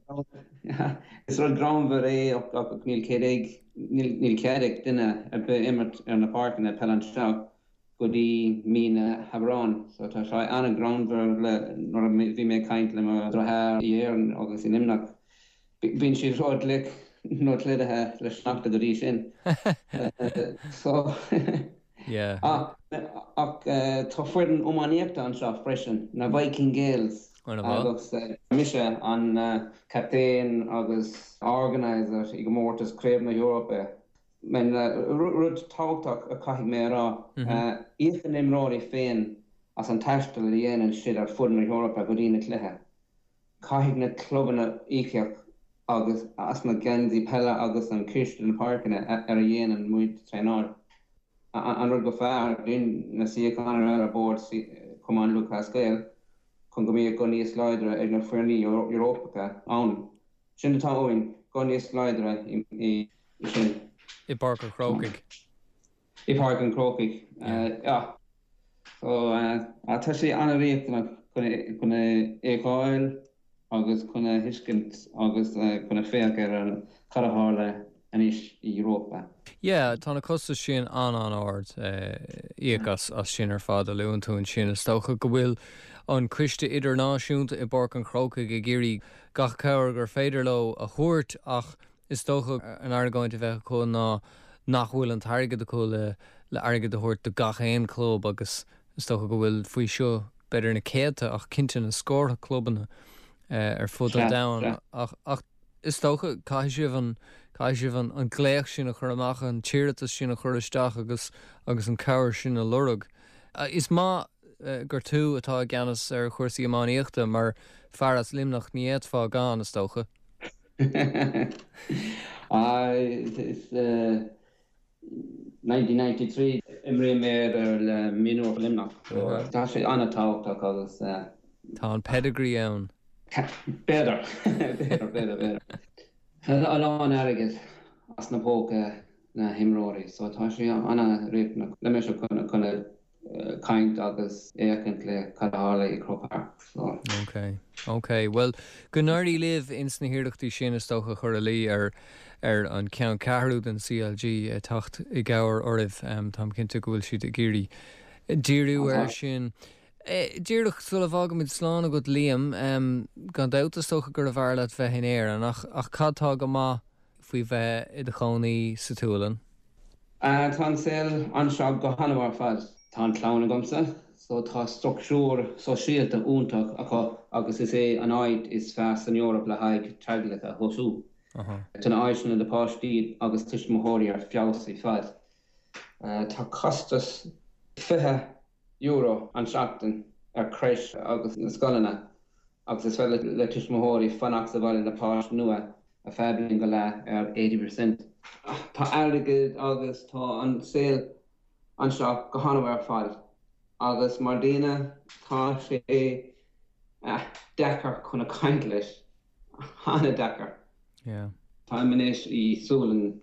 I: is rud greannmhar é ach níl cead ag níl cead ag duine ar bith imirt ar na páirceanna peile anseo go dtí mí na hAibreáin. So tá sé an-ghreannmhar le nuair a bhí mé ag caint le mo dheartháir i Éirinn agus i Luimneach. Bíonn siad ró-fhliuch nó plódaithe le sneachta go dtí sin. So
A: Yeah.
I: Ach ach tá foireann iománaíochta anseo freisin, na Viking Gaels. Agus mise an captaen agus organiser i gcomórtas Craobh na hEorpa. Rud tábhachtach a chaithfidh mé a rá, íocann na imreoirí féin as an taisteal a dhéanann siad ar fud na hEorpa go dtí na cluiche. Caithfidh na clubanna íocaíocht agus as na geansaí peile agus an ciste na páirceanna ar a dhéanann muid traenáil. An rud go fearr dúinn na suíocháin ar bord Chumann Lúthchleas Gael chun go mbeadh guth níos láidre ag na foirní Eorpacha ann. Sin atá uainn, guth níos láidre i
A: sin. I bPáirc an Chrócaigh.
I: I bPáirc an Chrócaigh, yeah. So, tá sé an-riachtanach chun a fheiceáil agus chun a thuiscint agus chun a féach ar an cad a tharla anois i Europa.
A: Yeah, tá na costais sin an-an-ard, íoc as as sin ar fad a luann tú ansin. Is dócha go bhfuil an coiste idirnáisiúnta i bPáirc an Chrócaigh ag iarraidh gach cabhair gur féidir leo a thabhairt ach Is dócha an argóint a bheadh acu ná nach bhfuil an t-airgead acu le le airgead a thabhairt do gach aon club agus is dócha go bhfuil faoi seo b'fhéidir na céadta ach cinnte na scórtha clubanna ar fud an domhain ach ach is dócha caithfidh sibh an caithfidh sibh an an glaoch sin a chur amach, an t-iarratas sin a chur isteach agus agus an cabhair sin a lorg. Is maith gur tú atá i gceannas ar chúrsaí iománaíochta mar fear as Luimneach ní fhéadfá gan, is dócha.
I: Is 1993 imrím mé ar le mionúir Luimneach. Tá sé an-tábhachtach agus.
A: Tá an pedigree ann.
I: B'fhéidir, b'fhéidir, b'fhéidir, b'fhéidir. A lán airgid as na póca na himreoirí so tá sé an-riachtanach le mise chun caint agus fhéachaint le cad a tharla i Croke Park. So.
A: Ok, ok. Bhuel, go n-éirí libh ins na hiarrachtaí sin is dócha cur a luí ar ar an ceanncheathrú den CLG teacht i gcabhair oraibh. Táim cinnte go bhfuil siad ag iarraidh díriú air sin. Díreach sula bhfágaimid slán agat Liam, gan dabht is dócha gurbh fhearr leat bheith in Éirinn ach ach cad tá go maith faoi bheith i do chónaí sa tSualainn?
I: Tá an saol anseo go han-mhaith ar fad. Tá an clann agamsa. So tá structúr sóisialta iontach acu agus is é an áit is fearr san Eoraip le haghaidh teaghlach a thosú. Tá na áiseanna do páistí agus tuismitheoirí ar feabhas ar fad. Tá costas €20 an seachtain ar crèche agus na scoileanna agus is féidir le tuismitheoirí fanacht sa bhaile le páiste nua ar feadh bliain go leath ar 80%. Tá airgead agus tá an saol anseo go han-mhaith ar fad agus mar daoine tá sé deacair chun a caint leis, an-deacair. Táim anois i Sualainn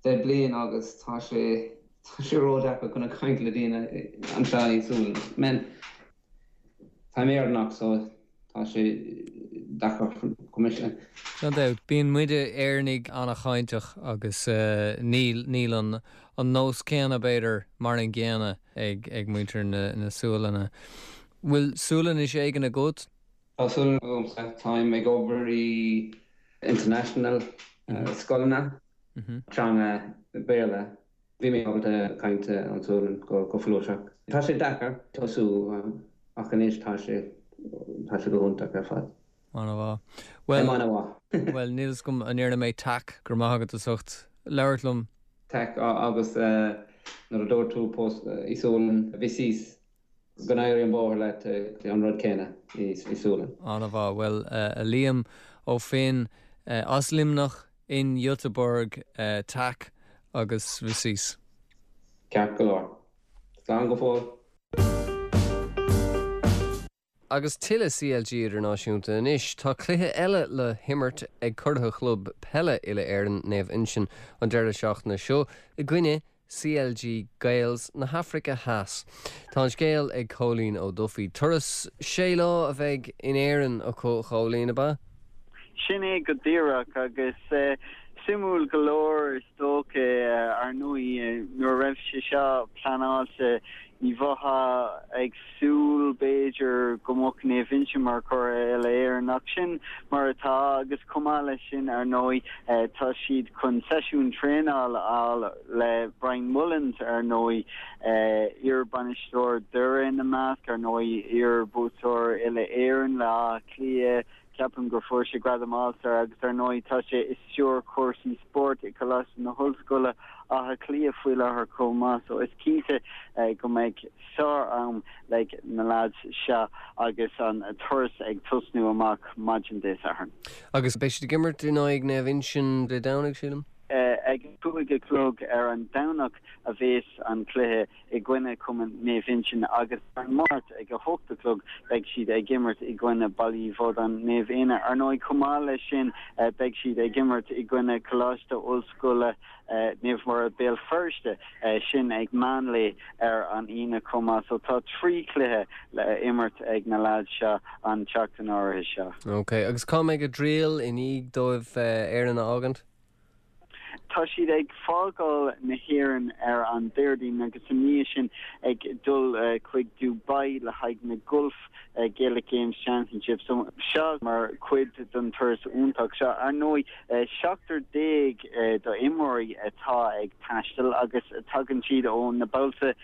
I: 10 bliain agus tá sé tá sé ró-deacair chun a caint le daoine anseo i Sualainn. Man, táim Éireannach so Tá sé deacair chomh maith sin.
A: Gan dabht, bíonn muide, Éireannaigh, an-chainteach agus níl, níl an, an nós céanna, b'fhéidir, mar an gcéanna ag, ag muintir na, na Sualainne. Bhfuil Sualainnis éigin agat?
I: Tá Sualainnis agamsa. Táim ag obair i international scoileanna, teanga Béarla. Bhí mé ábalta caint an Sualainn go folúsach. Tá sé deacair tosú ach anois tá sé tá sé go hiontach ar fad.
A: An-mhaith. Bhuel, An-mhaith. Bhuel, níl fhios agam an ndéarfaidh mé tack, go raibh maith agat as ucht labhairt liom.
I: Tack agus nuair a dúirt tú post i Sualainn, vi ses. Go n-éirí an bóthar leat, an rud céanna i Sualainn.
A: An-mhaith. Bhuel, a Liam Ó Finn, as Luimneach, in Göteborg, tack agus vi ses.
I: Ceart go leor. Slán go fóill.
A: Agus tuilleadh CLG idirnáisiúnta anois. Tá cluiche eile le himirt ag curaithe chlub peile uile-Éireann Naomh Uinseann an deireadh seachtaine seo i gcoinne CLG Gaels na hAfraice Theas. Tá an scéal ag Cóilín Ó Dufaigh. Turas sé lá a bheidh in Éirinn acu, a Chóilín, ab ea?
J: Sin é go díreach, agus suimiúil go leor is dócha, ar ndóigh, nuair a raibh sé seo pleanáilte, ní bheifeá ag súil, b'fhéidir, go mbeadh Naomh Uinseann mar churaidh Uile-Éireann, ach sin mar atá agus chomh maith leis sin, ar ndóigh, tá siad chun seisiún traenála a fháil le Brian Mullins, ar ndóigh, iar-bhainisteoir Doire ina measc, ar ndóigh, iar-bhuaiteoir Uile-Éireann le Áth Cliath, Ceapaim gur fuair sé gradam All-Star agus ar ndóigh tá sé ag stiúradh cúrsaí spóirt i Coláiste na hOllscoile Átha Cliath faoi láthair chomh maith so is cinnte go mbeidh sár-am ag na leaids seo agus an turas ag tosnú amach maidin Dé Sathairn.
A: Agus beidh siad ag imirt in aghaidh Naomh Uinseann Dé Domhnaigh, sílim?
J: Ag a 5 a chlog ar an Domhnach a bhéas an cluiche. i gcoinne Cumann Naomh Uinseann agus ar an Máirt ag 8 a chlog beidh siad ag imirt i gcoinne Baile Uí Bhraonáin Naomh Éanna. Ar ndóigh chomh maith leis sin beidh siad ag imirt i gcoinne Coláiste Ollscoile Naomh Muire Béal Feirste, sin ag meánlae ar an Aoine chomh maith. So tá 3 chluiche le imirt ag na leaids seo an tseachtain áirithe seo.
A: Ok, agus cá mbeidh a dtriall i ndiaidh dóibh Éirinn a fhágaint?
J: Tá siad ag fágáil na hÉireann ar an Déardaoin agus i ndiaidh sin ag dul chuig Dubai le haghaidh na Gulf Gaelic Games Championships. Seo mar chuid den turas iontach seo. Ar ndóigh, 17 d'imreoirí atá ag taisteal agus tagann siad ó na bailte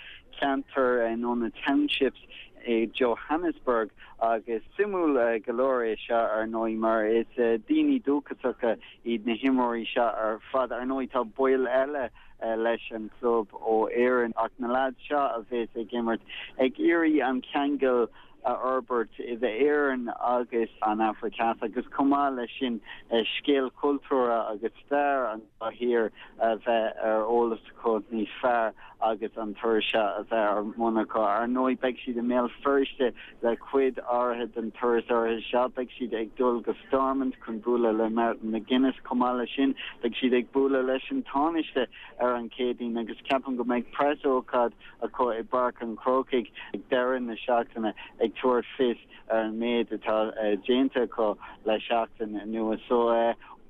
J: ceantair nó na townships i Johannesburg agus suimiúil go leor é seo ar ndóigh mar is daoine dúchasacha iad na himreoirí seo ar fad. Ar ndóigh tá baill eile leis an chlub ó Éirinn ach na leaids seo a bheas ag imirt ag iarraidh an ceangal a fhorbairt idir Éirinn agus an Afraic Theas agus chomh maith leis sin scéal cultúrtha agus stair an dá thír a bheith ar eolas acu níos fearr agus an turas seo a bheith ar bun acu. Ar ndóigh beidh siad i mBéal Feirste le cuid áirithe den turas áirithe seo. Beidh siad ag dul go Stormont chun bualadh le Martin McGuinness. Chomh maith leis sin, beidh siad ag bualadh leis an Tánaiste ar an Chéadaoin agus ceapaim go mbeidh preasócáid acu i bPáirc an Chrócaigh ag deireadh na seachtaine ag tabhairt fios ar an méid atá déanta acu le seachtain anuas. So,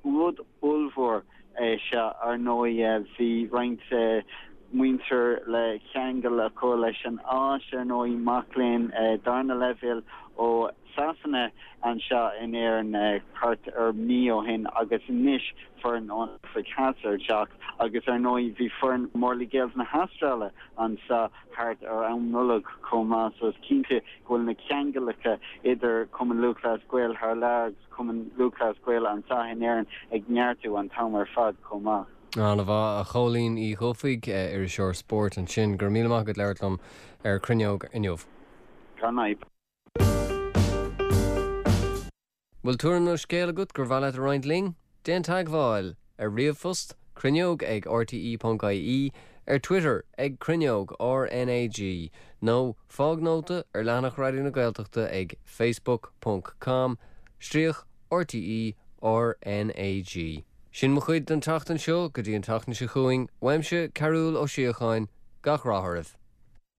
J: rud ollmhór é seo, ar ndóigh. Bhí roinnt. muintir le ceangal acu leis an Áis, ar ndóigh, mac léinn darna leibhéal ó Sasana anseo in Éirinn thart ar mí ó shin agus anois foireann ón Afraic Theas ar teacht agus ar ndóigh bhí foireann Morley Gaels na hAstráile anseo thart ar am Nollag chomh maith so is cinnte go bhfuil na ceangalacha idir Cumann Lúthchleas Gael thar lear agus Cumann Lúthchleas Gael anseo in Éirinn ag neartú an t-am ar fad chomh maith.
A: An-mhaith, a Chóilín Uí Dhufaigh, iriseoir spóirt ansin. Go raibh míle maith agat labhairt liom ar Cruinneog inniu.
J: Gan fhadhb.
A: Bhfuil tuairim nó scéal agat gur mhaith leat a roinnt linn? Déan teagmháil! Ar ríomhphost, cruinneog ag rte.ie, ar Twitter ag Cruinneog RnaG, nó fág nóta ar leathanach Raidió na Gaeltachta ag facebook ponc com stríoc RTÉ RnaG. Sin mo chuid don tseachtain seo, go dtí an tseachtain seo chugainn, uaimse, Cearúll Ó Síocháin, gach rath oraibh!